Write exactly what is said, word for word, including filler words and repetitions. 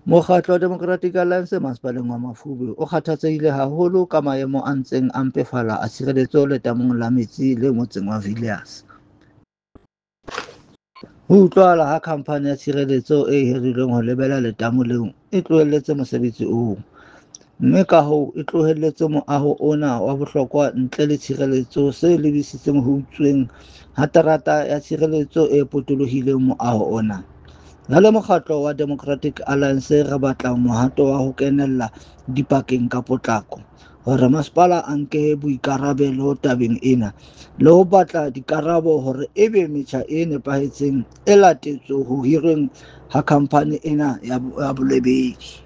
Mokgatlo wa Democratic Alliance Masepaleng wa Mafube o kgathatsehile haholo ka maemo a ntseng a mpefala a tshireletso letamong la metsi le motseng wa Villiers. Ho utlwahala ha khamphane ya tshireletso e hirilweng ho lebela letamo leo e tlohelletse mosebetsi oo, mme ka hoo e tlohelletse moaho ona wa bohlokwa ntle le tshireletso se lebisitseng ho utsuweng ha terata ya tshireletso e potolohileng moaho ona. Re le mokgatlo wa Democratic Alliance re batla mohato wa ho kenella dipakeng ka potlako, hore masepala a nke boikarabelo tabeng ena, le ho batla dikarabo hore ebe metjha e nepahetseng e latetswe ho hirweng ha khamphane ena ya bolebedi.